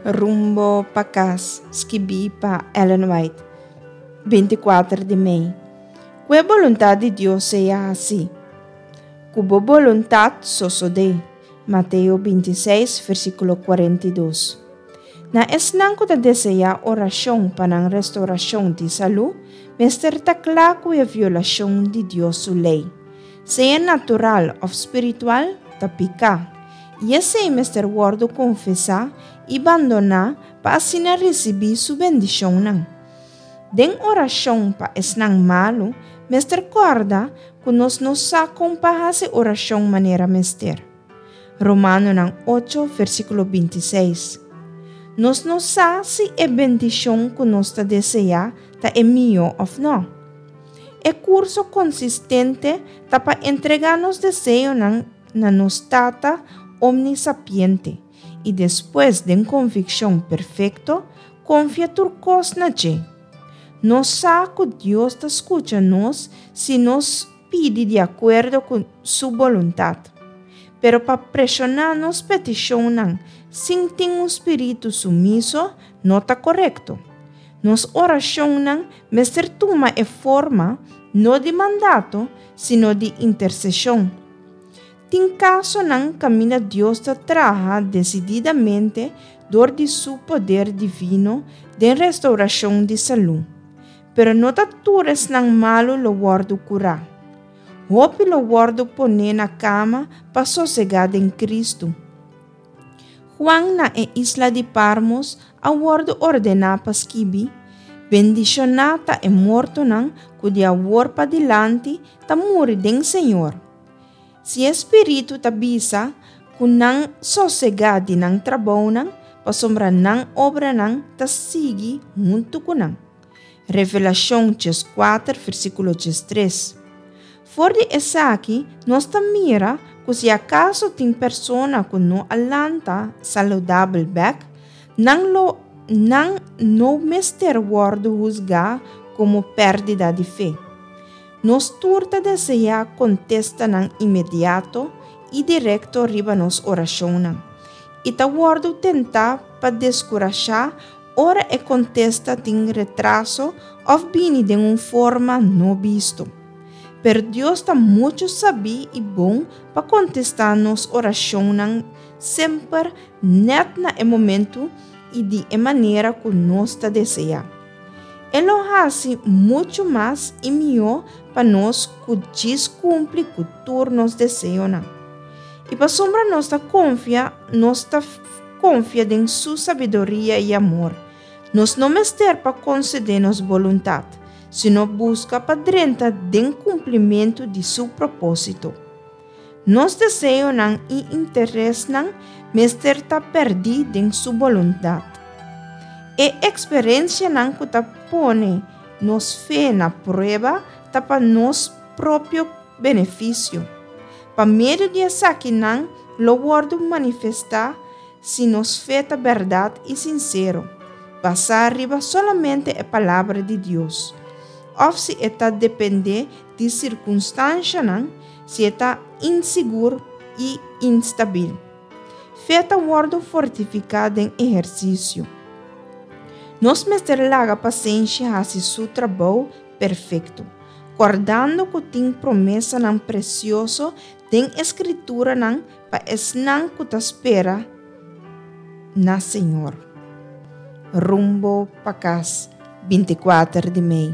Rumbo pa kas, skibí pa Ellen White, 24 di mei. Ku e boluntat di Dios sea hasí. Ku bo boluntat sosodé. Mateo 26, versíkulo 42. Na esnan ku ta deseá orashon pa nan restourashon di salú, mester ta kla ku e violashon di Dios su lei, sea natural òf spiritual, ta piká. I esei mester wòrdu konfesá i bandoná pa asina risibí su bendishonnan. Den orashon pa esnan malu, mester kòrda ku nos no sa kon pa hasi orashon manera mester. Romanonan ocho, versíkulo bintiseis. Nos no sa si e bendishon ku nos ta deseá ta e mihó òf nò. E kurso konsistente ta pa entregá nos deseonan na nos Tata omnisapiente i despues den konvikshon perfekto konfia tur kos na dje. Nos sa ku Dios ta skucha nos si nos pidi di akuerdo ku su boluntat. Pero pa preshoná nos petishonnan sin tin un spiritu sumiso no ta korekto. Nos orashonnan mester tuma e forma no di mandato sino di interseshon. Tin kasonan kaminda Dios ta traha desididamente dor di su poder divino den restourashon di salú. Pero no ta tur esnan malu lo wòrdu kurá. Hopi lo wòrdu poné na kama pa sosegá den Kristu. Juan na e isla di Parmos a wòrdu ordená pa skibi, Bendishoná ta e mortonan ku di awor padilanti ta muri den Señor. Si e Spiritu ta bisa ku nan sosegá di nan trabounan pasobra nan obranan ta sigui huntu ku nan. Revelashon 14 versíkulo 13. For di esaki nos ta mira ku si akaso tin persona ku no a lanta saludabel bèk, nan lo nan no mester wòrdu husgá komo pèrdida di fe. Nos tur ta deseá kontestanan inmediato i direkto riba nos orashonnan, i ta wòrdu tentá pa deskurashá ora e kontesta tin retraso òf bini den un forma no bisto. Pero Dios ta muchu sabí i bon pa kontestá nos orashonnan semper nèt na e momentu i di e manera ku nos ta deseá. E lo hasi muchu mas i mihó pa nos ku djis kumpli ku tur nos deseonan. I pasobra nos ta konfia, nos ta konfia den su sabiduria i amor. Nos no mester pa konsedé nos boluntat, sino buska pa drenta den kumplimentu di su propósito. Nos deseonan i interesnan mester ta pèrdí den su boluntat. E eksperensianan ku ta pone nos fe na prueba ta pa nos propio benefisio. Pa medio di esakinan lo wòrdu manifestá si nos fe ta bèrdat i sinsero, basá riba solamente e Palabra di Dios, òf si e ta dependé di sirkunstanshanan, si e ta insigur i instabil. Fe ta wòrdu fortifiká den ehersisio. Nos mester laga pasenshi hasi su trabou perfekto, kòrdando ku tin promesanan presioso den e Skrituranan pa esnan ku ta spera na Señor. Rumbo pa kas, 24 di mei.